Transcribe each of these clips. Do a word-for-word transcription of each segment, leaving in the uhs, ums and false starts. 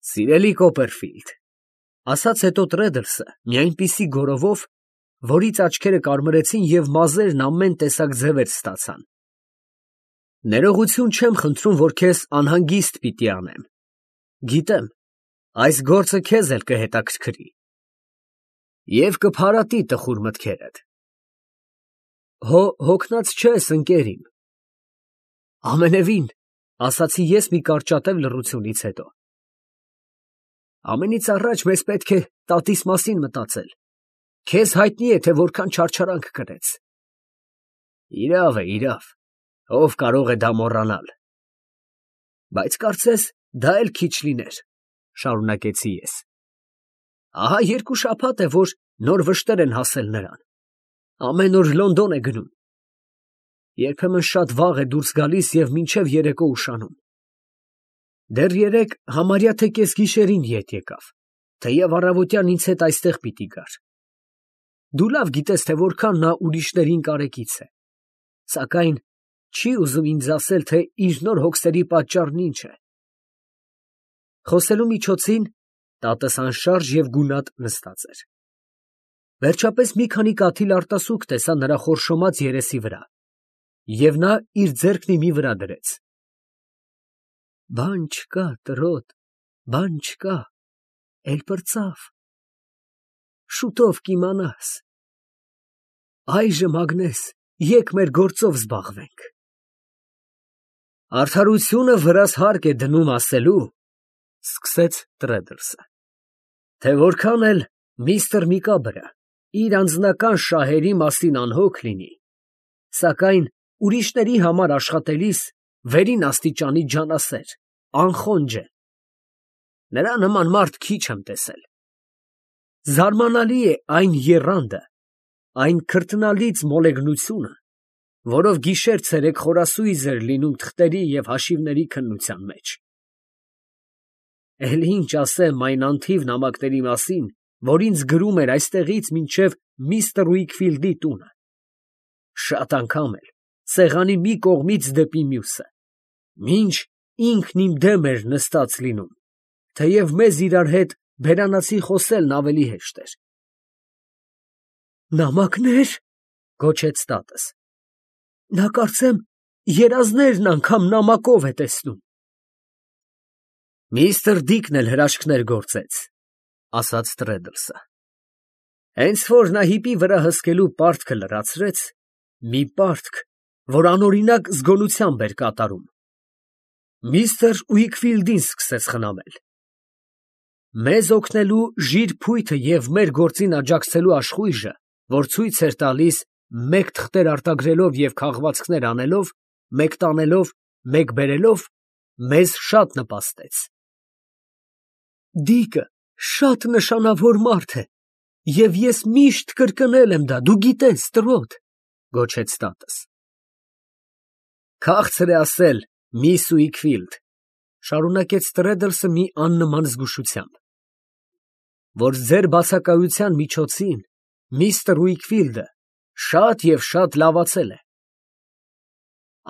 Սիրելի Կոպերֆիլդ, ասաց հետո Տրեդլսը մի այնպիսի գորովով, որից աչքերը կարմրեցին և մազերն ամեն տեսակ ձևեր ստացան. ներողություն չեմ խնդրում, որ քեզ անհանգիստ պիտի անեմ, գիտեմ, այս գործը քեզ էլ կհետաքրքրի և կփարատի տխուր մտքերդ, հո հոգնած չես, ընկեր իմ, ամենևին, ասացի ես մի կարճատև լռությունից հետո, ամենից առաջ մեզ պետք է տատիս մասին մտածել, քեզ հայտնի է, թե որքան չարչարանք կրեց, իրավ է, իրավ, ով կարող է դա մոռանալ, բայց կարծես դա էլ քիչ լիներ, շարունակեցի ես, ահա երկու շաբաթ է, որ նոր վշտեր են հասել նրան, ամեն օր Լոնդոն է գնում, երբեմն շատ վաղ է դուրս գալիս և մինչև երեկո ուշանում, դեռ երեկ համարյա թե կեսգիշերին ետ եկավ, թեև առավոտյան ինձ հետ այստեղ պիտի գար, դու լավ գիտես, թե որքան նա ուրիշներին կարեկից է, սակայն չի ուզում ինձ ասել, թե իր նոր հոգսերի պատճառն ինչ է, խոսելու միջոցին տատս անշարժ և գունատ նստած էր, վերջապես մի քանի կաթիլ արտասուք տեսա նրա խորշոմած երեսի վրա, և նա իր ձեռքն իմի վրա դրեց, բան չկա, տրոտ, բան չկա, էլ պրծավ, շուտով կիմանաս, այժմ Ագնես, եկ մեր գործով զբաղվենք, արդարությունը վրաս հարկ է դնում ասելու, սկսեց Տրեդլսը, թե որքան էլ միստր Միկաբրը իր անձնական շահերի մասին անհոգ լինի, սակայն ուրիշների համար աշխատելիս վերին աստիճանի ջանասեր, անխոնջ է, նրա նման մարդ քիչ եմ տեսել, զարմանալի է այն եռանդը, այն քրտնալից մոլեգնությունը, որով գիշեր֊ցերեկ խորասույզ էր լինում թղթերի և հաշիվների քննության մեջ, էլ ինչ ասեմ այն անթիվ նամակների մասին, որ ինձ գրում էր այստեղից մինչև միստր Ուիքֆիլդի տունը, շատ անգամ էլ սեղանի մի կողմից դեպի մյուսը, մինչ ինքն իմ դեմ էր նստած լինում, թեև մեզ իրար հետ բերանացի խոսելն ավելի հեշտ էր։ Նամակներ, գոչեց տատս, նա կարծեմ երազներն անգամ նամակով է տեսնում։ Միստր Դիկն էլ հրաշքներ գործեց, ասաց Տրեդլսը, հենց որ նա հիպի վրա հսկելու պարտքը լրացրեց, մի պարտք, որ անօրինակ զգոնությամբ էր կատարում, միստր Ուիքֆիլդին սկսեց խնամել, մեզ օգնելու ժիր փույթը և մեր գործին աջակցելու աշխույժը, որ ցույց էր տալիս մեկ թղթեր արտագրելով և քաղվածքներ անելով, մեկ տանելով, մեկ բերելով, մեզ շատ նպաստեց։ Դիկը շատ նշանավոր մարդ է, և ես միշտ կրկնել եմ դա, դու գիտես, տրոտ, գոչեց տատս։ Քաղցր է ասել, միս Ուիքֆիլդ, շարունակեց Տրեդլսը մի աննման զգուշությամբ, որ ձեր բացակայության միջոցին միստր Ուիքֆիլդը շատ և շատ լավացել է։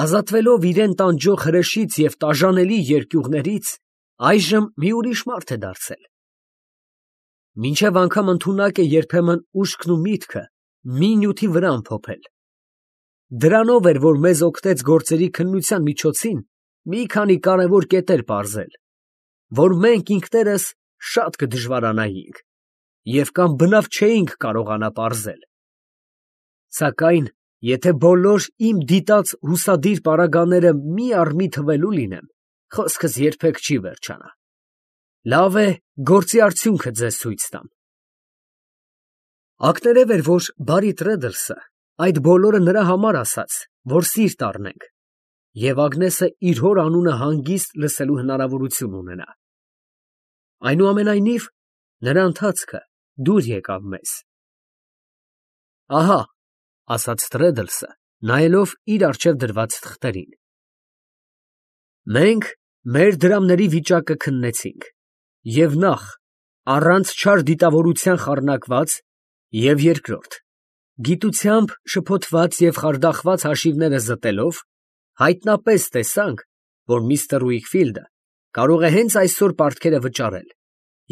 Ազատվելով իրան տանջող հրեշից և տաժանելի երկյուղներից, այժմ մի ուրիշ մարդ է դարձել։ Մինչև անգամ ընդունակ է երբեմն ուշքն ու միտքը մի նյութի վրա ամփոփել։ Դրանով էր, որ մեզ օգնեց գործերի քննության միջոցին մի քանի կարևոր կետեր պարզել, որ մենք ինքներս շատ կդժվարանայինք և կամ բնավ չէինք կարողանա պարզել։ Սակայն, եթե բոլոր իմ դիտած հուսադիր պարագաները մի առ մի թվելու լինեմ, խոսքս երբեք չի վերջանա։ Լավ է, գործի արդյունքը ձեզ ցույց տամ։ Ակներև էր, որ բարի Տրեդլսը այդ բոլորը նրա համար ասաց, որ սիրտ առնենք, և Ագնեսը իր հոր անունը հանգիստ լսելու հնարավորություն ունենա։ Այնուամենայնիվ, նրա ընթացքը դուր եկավ մեզ։ Ահա, ասաց Տրեդլսը, նայելով իր առջև դրված թղթերին։ Մենք մեր դրամների վիճակը քննեցինք, և նախ, առանց չար դիտավորության խառնակված, և երկրորդ, գիտությամբ շփոթված և խարդախված հաշիվները զտելով, հայտնապես տեսանք, որ միստր Ուիքֆիլդը Կարող է հենց այսօր պարտքերը վճարել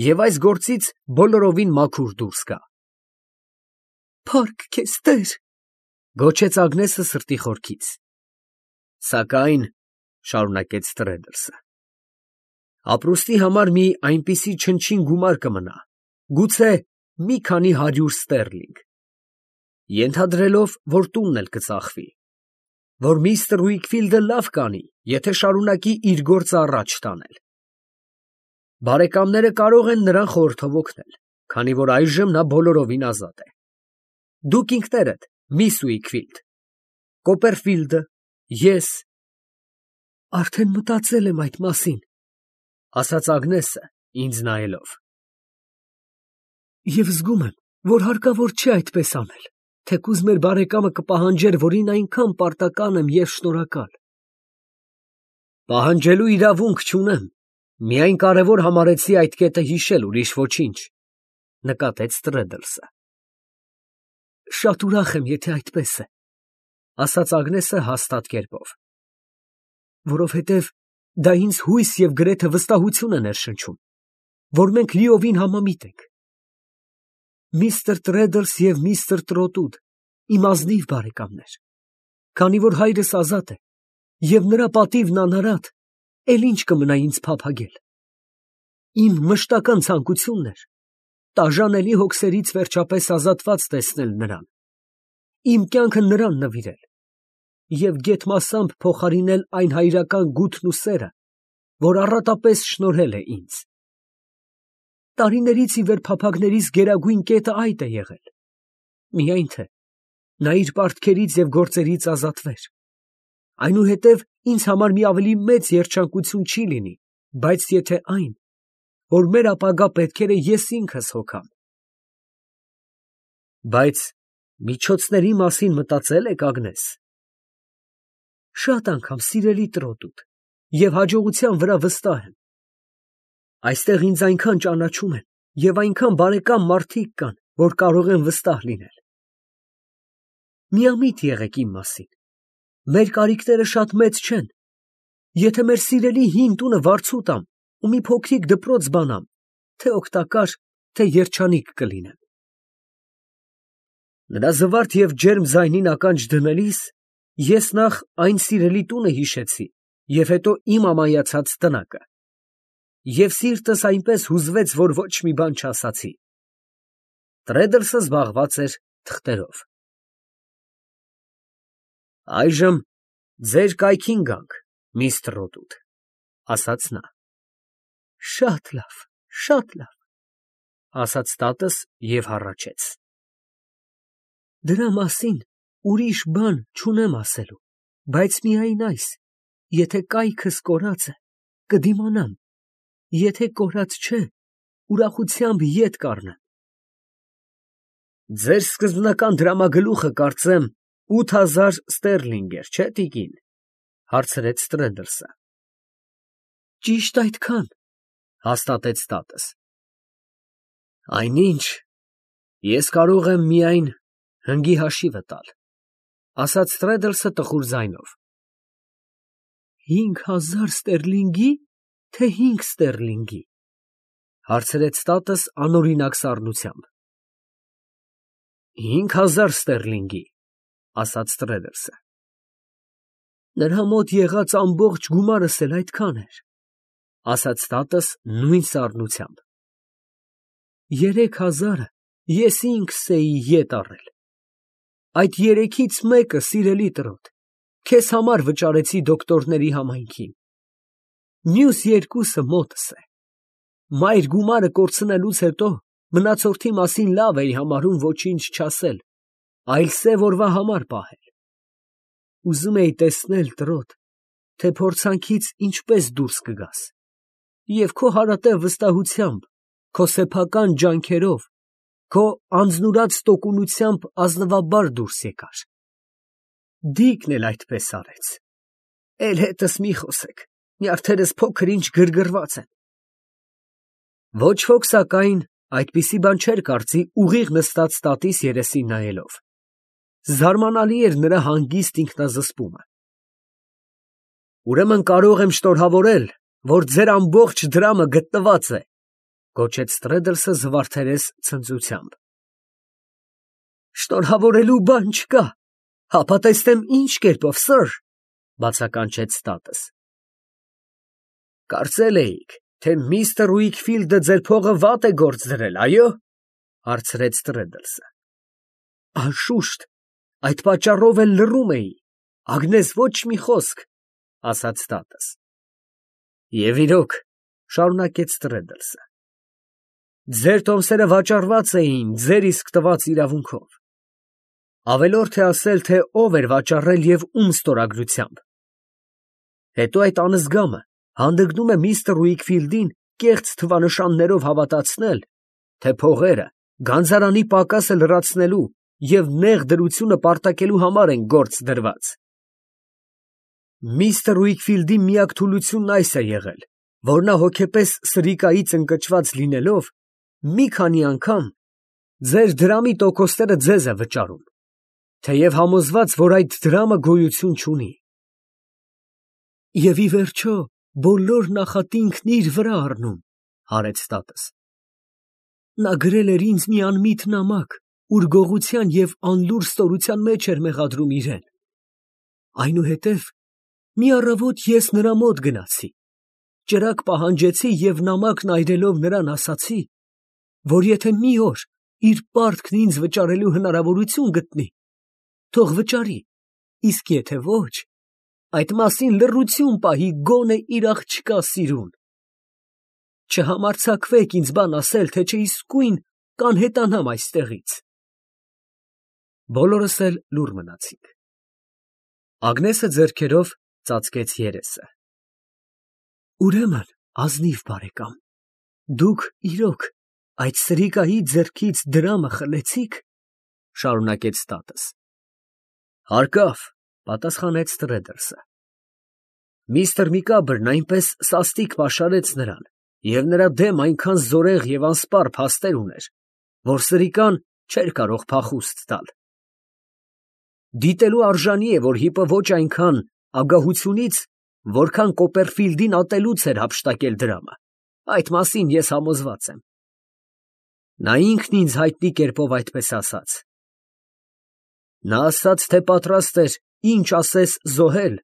և այս գործից բոլորովին մաքուր դուրս գա։ Փառք քեզ, Տեր, գոչեց Ագնեսը սրտի խորքից։ Սակայն, շարունակեց Տրեդլսը, ապրուստի համար մի այնպիսի չնչին գումար կմնա, գուցե մի քանի հարյուր ստերլինգ, ենթադրելով, որ տունն էլ կծախվի, որ միստր Ուիքֆիլդը լավ կանի, եթե շարունակի իր գործը առաջ տանել։ Բարեկամները կարող են նրան խորհրդով օգնել, քանի որ այժմ նա բոլորովին ազատ է։ Դուք ինքներդ, միս Ուիքֆիլդ, Կոպերֆիլդը, ես… Արդեն մտածել եմ այդ մասին, ասաց Ագնեսը, ինձ նայելով։ Եվ զգում եմ, որ հարկավոր չէ այդպես անել, թեկուզ մեր բարեկամը կպահանջեր, որին այնքան պարտական եմ և շնորհակալ։ Պահանջելու իրավունք չունեմ, միայն կարևոր համարեցի այդ կետը հիշել, ուրիշ ոչինչ, նկատեց Տրեդլսը։ Շատ ուրախ եմ, եթե այդպես է, ասաց Ագնեսը հաստատ կերպով, որովհետև դա ինձ հույս և գրեթե վստահություն է ներշնչում, որ մենք լիովին համամիտ ենք։ Միստր Տրեդլս և միստր Տրոտուդ իմ ազնիվ բարեկամներ, քանի որ հայրս ազատ է և նրա պատիվն անարատ, էլ ինչ կմնա ինձ փափագել։ Իմ մշտական ցանկությունն էր տաժանելի հոգսերից վերջապես ազատված տեսնել նրան, իմ կյանքը նրան նվիրել և գեթ փոխարինել այն հայրական գութն ու սերը, որ առատապես շնորհել է ինձ։ Տարիներից ի վեր փափագներիս գերագույն կետը այդ է եղել, միայն թե նա իր պարտքերից և գործերից ազատվեր, այնուհետև ինձ համար մի ավելի մեծ երջանկություն չի լինի, բայց եթե այն, որ մեր ապագա պետքերը ես ինքս հոգամ։ Բայց միջոցների մասին մտածե՞լ եք, Ագնես։ Շատ անգամ, սիրելի Տրոտուդ, և հաջողության վրա վստահ եմ։ Այստեղ ինձ այնքան ճանաչում են և այնքան բարեկամ մարդիկ կան, որ կարող են վստահ լինել։ Միամիտ եղեք իմ մասին, մեր կարիքները շատ մեծ չեն, եթե մեր սիրելի հին տունը վարձու տամ ու մի փոքրիկ դպրոց բանամ, թե օգտակար, թե երջանիկ կլինեմ։ Նրա զվարթ և ջերմ ձայնին ականջ դնելիս ես նախ այն սիրելի տունը հիշեցի և հետո իմ ամայացած տնակը, և սիրտս այնպես հուզվեց, որ ոչ մի բան չասացի։ Տրեդլսը զբաղված էր թղթերով։ Այժմ ձեր կայքին գանք, միս Տրոտուդ, ասաց նա։ Շատ լավ, շատ լավ, ասաց տատս և հառաչեց։ Դրա մասին ուրիշ բան չունեմ ասելու, բայց միայն այս, եթե կայքս կորած է, կդիմանամ, եթե կորած չէ, ուրախությամբ ետ կառնեմ։ Ձեր սկզբնական դրամագլուխը, կարծեմ, ութ հազար ստերլինգ էր, չէ՞, տիկին, հարցրեց Տրեդլսը։ Ճիշտ այդքան, հաստատեց տատս։ Այնինչ, ես կարող եմ միայն հնգի հաշիվը տալ, ասաց Տրեդլսը տխուր ձայնով։ Հինգ հազար ստերլինգի, թե հինգ ստերլինգի, հարցրեց տատս անօրինակ սառնությամբ։ Հինգ հազար ստերլինգի, ասաց Տրեդլսը։ Նրա մոտ եղած ամբողջ գումարս էլ այդքան էր, ասաց տատս նույն սառնությամբ։ Երեք հազարը ես ինքս էի ետ առել։ Այդ երեքից մեկը, սիրելի Տրոտ, քեզ համար վճարեցի դոկտորների համայնքին, մյուս երկուսը մոտս է։ Մայր գումարը կորցնելուց հետո մնացորդի մասին լավ էի համարում ոչինչ չասել, այլ սև օրվա համար պահել։ Ուզում էի տեսնել, Տրոտ, թե փորձանքից ինչպես դուրս կգաս, և քո հարատև վստահությամբ, քո սեփական ջանքերով, քո անձնուրաց տոկունությամբ ազնվաբար դուրս եկար։ Դիկն էլ այդպես արեց։ Էլ հետս մի խոսեք, նյարդերս փոքր ինչ գրգռված են։ Ոչ ոք, սակայն, այդպիսի բան չէր կարծի ուղիղ նստած տատիս երեսին նայելով։ Զարմանալի էր նրա հանգիստ ինքնազսպումը։ Ուրեմն կարող եմ շնորհավորել, որ ձեր ամբողջ դրամը գտնված է, գոչեց Տրեդլսը զվարթերես ցնծությամբ։ Շնորհավորելու բան չկա, հապա տեսնեմ ինչ կերպով, սըր, բացականչեց Ստատս։ Կարծել էիք, թե միստր Ուիքֆիլդը ձեր փողը վատ է գործ դրել, այո՞, հարցրեց Տրեդլսը։ Անշուշտ, այդ պատճառով էլ լռում էի, Ագնես ոչ մի խոսք, ասաց Ստատս։ Եվ իրոք, շարունակեց Տրեդլսը, ձեր տոմսերը վաճառված էին ձեր իսկ տված իրավունքով։ Ավելորդ է ասել, թե ով էր վաճառել և ում ստորագրությամբ։ Հետո այդ անզգամը հանդգնում է միստր Ուիքֆիլդին կեղծ թվանշաններով հավատացնել, թե փողերը գանձարանի պակասը լրացնելու և նեղ դրությունը պարտակելու համար են գործ դրված։ Միստր Ուիքֆիլդի միակ թուլությունն այս է եղել, որ նա հոգեպես սրիկայից ընկճված լինելով, մի քանի անգամ ձեր դրամի տոկոսները ձեզ է վճարում, թեև համոզված, որ այդ դրամը գոյություն չունի։ Եվ ի վերջո, բոլոր նախատինքն իր վրա առնում, հարեց Ստատս։ Նա գրել էր ինձ մի անմիտ նամակ, ուր գողության և անլուր ստորության մեջ էր մեղադրում իրեն։ Այնուհետև մի առավոտ ես նրա մոտ գնացի, ճրագ պահանջեցի և նամակն այրելով նրան ասացի, որ եթե մի օր իր պարտքն ինձ վճարելու հնարավորություն գտնի, թող վճարի, իսկ եթե ոչ, այդ մասին լռություն պահի գոնե իր աղջկա սիրուն։ Չհամարձակվեք ինձ բան ասել, թե չէ իսկույն կանհետանամ այստեղից։ Բոլորս էլ լուռ մնացինք։ Ագնեսը ձեռքերով ծածկեց երեսը։ Ուրեմն, ազնիվ բարեկամ, դուք իրոք այդ սրիկայի ձեռքից դրամը խլեցի՞ք, շարունակեց Ստատս։ Հարկավ, պատասխանեց Տրեդլսը։ Միստր Միկաբրն այնպես սաստիկ պաշարեց նրան, և նրա դեմ այնքան զորեղ և անսպառ փաստեր ուներ, որ սրիկան չէր կարող փախուստ տալ։ Դիտելու արժանի է, որ հիպը ոչ այնքան ագահությունից, որքան Կոպերֆիլդին ատելուց էր հափշտակել դրամը, այդ մասին ես համոզված եմ։ Նա ինքն ինձ հայտնի կերպով այդպես ասաց։ Նա ասաց, թե պատրաստ էր ինչ ասես զոհել,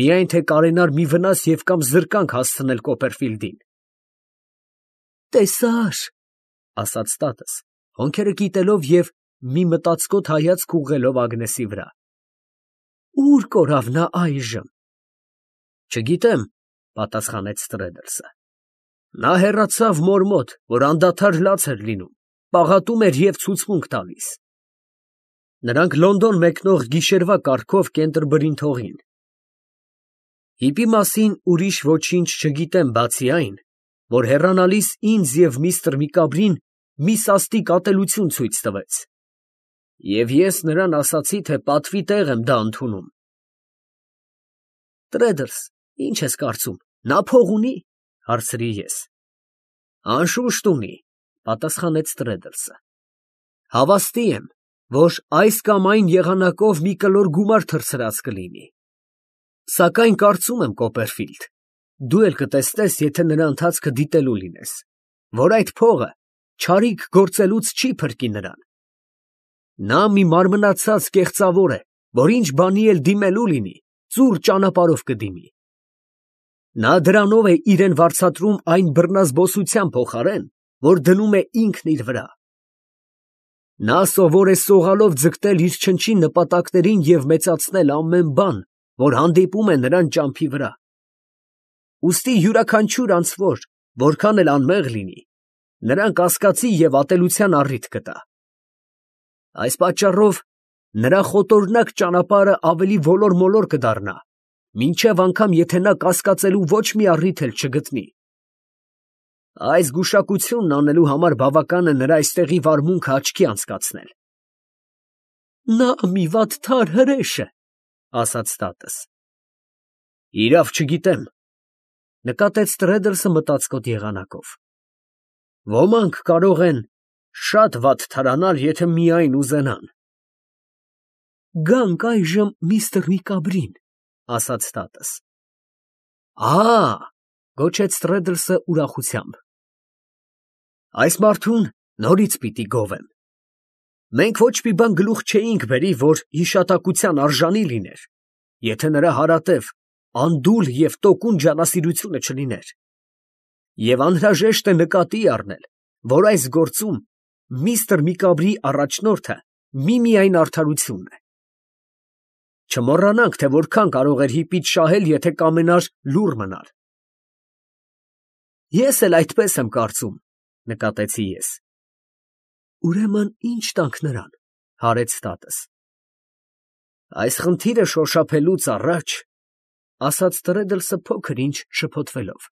միայն թե կարենար մի վնաս և կամ զրկանք հասցնել Կոպերֆիլդին։ Տեսա՛ր, ասաց Ստատս, հոնքերը կիտելով և մի մտածկոտ հայացք ուղղելով Ագնեսի վրա։ Ո՞ւր կորավ նա այժմ։ Չգիտեմ, պատասխանեց Տրեդլսը։ Նա հեռացավ մոր մոտ, որ անդադար լաց էր լինում, պաղատում էր և ցուցմունք տալիս։ Նրանք Լոնդոն մեկնող գիշերվա կառքով Կենտերբրին թողին։ Հիպի մասին ուրիշ ոչինչ չգիտեմ, բացի այն, որ հեռանալիս ինձ և միստր Միկաբրին մի սաստիկ ատելություն ցույց տվեց։ Եվ ես նրան ասացի, թե պատվի տեղ եմ դա ընդունում։ Տրեդլս, ինչ ես կարծում, նա փող ունի, հարցրի ես։ Անշուշտ ունի, պատասխանեց Տրեդլսը։ Հավաստի եմ, որ այս կամ այն եղանակով մի կլոր գումար թռցրած կլինի։ Սակայն կարծում եմ, Կոպերֆիլդ, դու էլ կտեսնես, եթե նրա ընթացքը դիտելու լինես, որ այդ փողը չարիք գործելուց չի փրկի նրան։ Նա մի մարմնացած կեղծավոր է, որ ինչ բանի էլ դիմելու լինի, ծուռ ճանապարհով կդիմի։ Նա դրանով է իրեն վարձատրում այն բռնազբոսության փոխարեն, որ դնում է ինքն իր վրա։ Նա սովոր է սողալով ձգտել իր չնչին նպատակներին և մեծացնել ամեն բան, որ հանդիպում է նրան ճամփի վրա։ Ուստի յուրաքանչյուր անձվոր, որքան էլ անմեղ լինի, նրան կասկածի և ատելության առիթ կտա։ Այս պատճառով նրա խոտորնակ ճանապարհը ավելի ոլոր֊մոլոր կդառնա, մինչև անգամ եթե նա կասկածելու ոչ մի առիթ էլ չգտնի։ Այս գուշակությունն անելու համար բավական է նրա այստեղի վարմունքը աչքի անցկացնել։ Նա մի վատ թար հրեշ է, ասաց Ստատս։ Իրավ չգիտեմ, նկատեց Տրեդլսը մտածկոտ եղանակով։ Ոմանք կարող են շատ վատ թարանալ, եթե միայն ուզենան։ Գանք այժմ միստր Միկաբրին, ասաց Ստատս։ Ա, Գոչեց Տրեդլսը ուրախությամբ։ Այս մարդուն նորից պիտի գովեմ։ Մենք ոչ մի բան գլուխ չէինք բերի, որ հիշատակության արժանի լիներ, եթե նրա հարատև անդուլ և տոկուն ջանասիրությունը չլիներ։ Եվ անհրաժեշտ է նկատի առնել, որ այս գործում միստր Միկաբրի առաջնորդը միմիայն արդարությունն է։ Չմոռանանք, թե որքան կարող էր հիպիդ շահել, եթե կամենար լուռ մնալ։ Ես էլ այդպես եմ կարծում, նկատեցի ես։ Ուրեմն ի՞նչ տանք նրան, հարեց տատս։ Այս խնդիրը շոշափելուց առաջ, ասաց Տրեդլսը փոքր ինչ շփոթվելով,